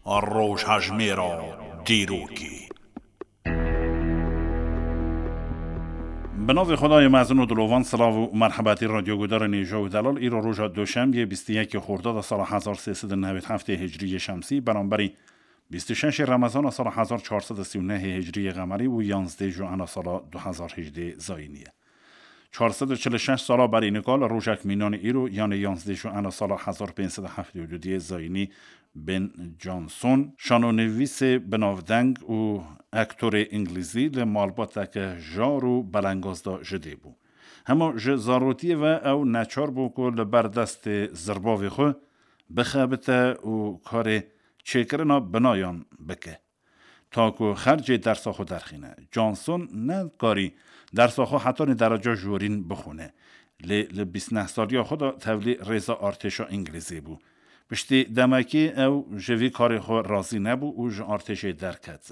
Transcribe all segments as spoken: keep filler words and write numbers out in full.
Rojhejmêra dîrokê. Bi navê Xwedayê mezin û dilovan, silav û merhebetî radyo gudarên hêja û delal. Îro roja Doşembiyê, bîst û yekê Xordada sala hezar sê sed û newêd heftê Hicriyê Şemsî, beramberî bîst û şeşê Remezana sala hezar çar sed û sî û nehê Hicriyê Qemerî û yanzdê Joana sala du hezar hejdê Zayînî ye. Çar sed û çil û şeş sala berî nika li rojek mînanê îro, yanê yanzdê Joana sala hezar pênc sed û heftê û du diyê Zayînî, Ben Johnson, şanonivîsê binavdeng û aktorê îngilîzî, li malbateke jar û belengaz de ji dê bû. Hema ji zarotiyê ve ew neçar bû ku li ber destê zirbavê xwe bixebite û karê çêkirina binayan bike, ta ku xercê dersa xwe derxîne. Johnson nekarî dersa xwe hetanî dereca jorîn bixwîne, lê li bîst neh saliya xwe de tevlî rêza artêşa îngilîzê bû. Piştî demekê ew ji vî karê xwe razî nebû û ji artêşê derket.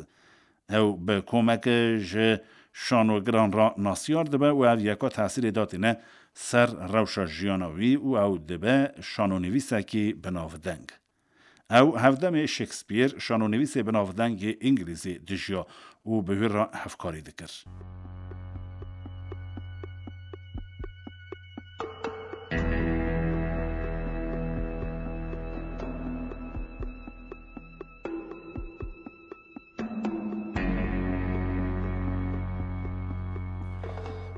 Ew bi komeke ji şanogiran re nasiyar dibe û ev yeka tesîrê datîne ser rewşa jiyana wî û ew dibe şanonivîsekî binavdeng. Ew hevdemê Shakespeare, şanonivîsê binavdeng yê îngilîzî, dijiya û bi wî re hevkarî dikir.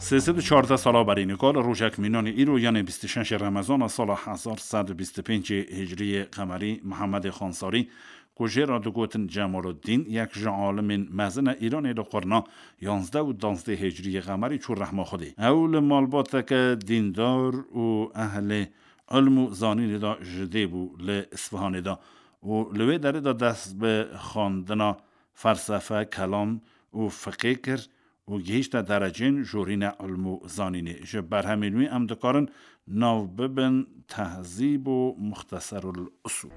Sê sed û çardeh sala berî nika li rojek mînanê îro, yanê bîst û şeşê Remezana sala hezar sed û bîst û pêncê Hicriyê Qemerî, Mihemedê Xansarî, ku jê re digotin Cemaluddîn, yek ji alimên mezin e Îranê, li qurna yanzdeh û danzdeh Hicriyê Qemerî çû rehma Xwedê. Ew li malbateke dîndar û ehlê ilm û zanînê de ji dê bû li Isfihanê de û li wê derê de dest bi xwendina felsefe, kelam û fiqê kir û gihîşte derecên jorîne ilm û zanînê. Ji berhemên wî em dikarin nav bibin Tehzîb û Muxteserul Usûl.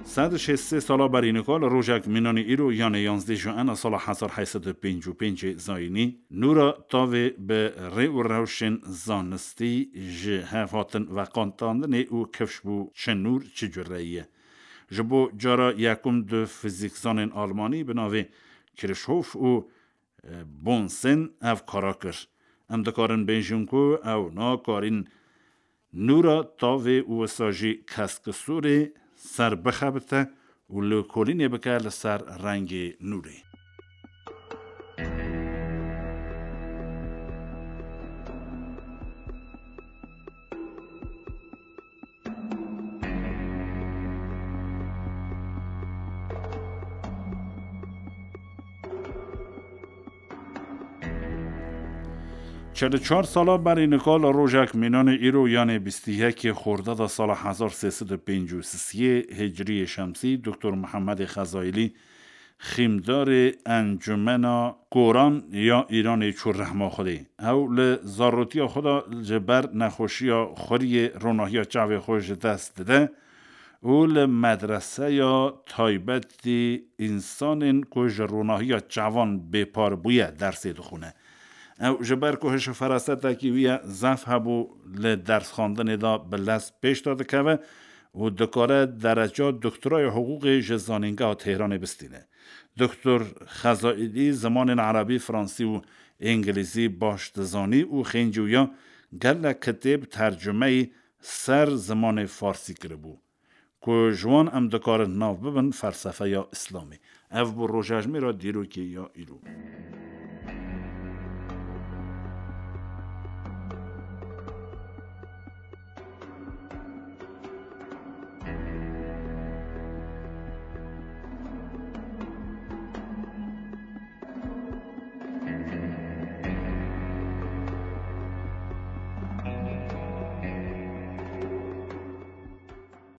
Sed û şêst sê sala berî nika li rojek mînanî îro, yanê yanzdeh Joana sala hezar heyt sed û pêncî û pêncê Zayînî, nûra tavê bi rê û rewşên zanistî ji hev hatin veqandandinê û kifş bû, çi nûr, çi cureyî ye. Ji bo cara yekum du fizîkzanên almanî bi navê Kirchhoff û, e, Bunsen ev kara kir. Em dikarin bêjin ku ew nakarîn nûra tavê û wisa jî keskisûrê ser bixebite û lêkolînê bike li ser rengê nûrê. Çil û çar sala berî nika li rojek mînanê îro, yanê bîst û yekê Xordada sala hezar sê sed û pêncî û sisiyê Hicriyê Şemsî, Doktor Mihemedê Xezaîlî, xîmdarê Encumena Koran ya Îranê, çû rehma Xwedê. Ew li zarotiya xwe de ji ber nexweşiya xuriyê ronahiya çavê xwe ji dest dide û li medreseya taybetî însanên ku ji ronahiya çavan bêpar bûye dersê dixwîne. Ew ji ber ku hiş û ferasetekî wî ye zaf hebû, li dersxwendinê de bi lez pêş de dikeve û dikare dereca doktoraya hiqûqê ji Zanîngeha Tehranê bistîne. Doktor Xezaîlî zimanên erebî, fransî û îngilîzî baş dizanî û xêncî wî ya gelek kitêb tercumeyî ser zimanê farsî kiribû, ku ji wan em dikarin nav bibin felsefeya Îslamê. Ev bû rojejmêra dîrokê ya îro.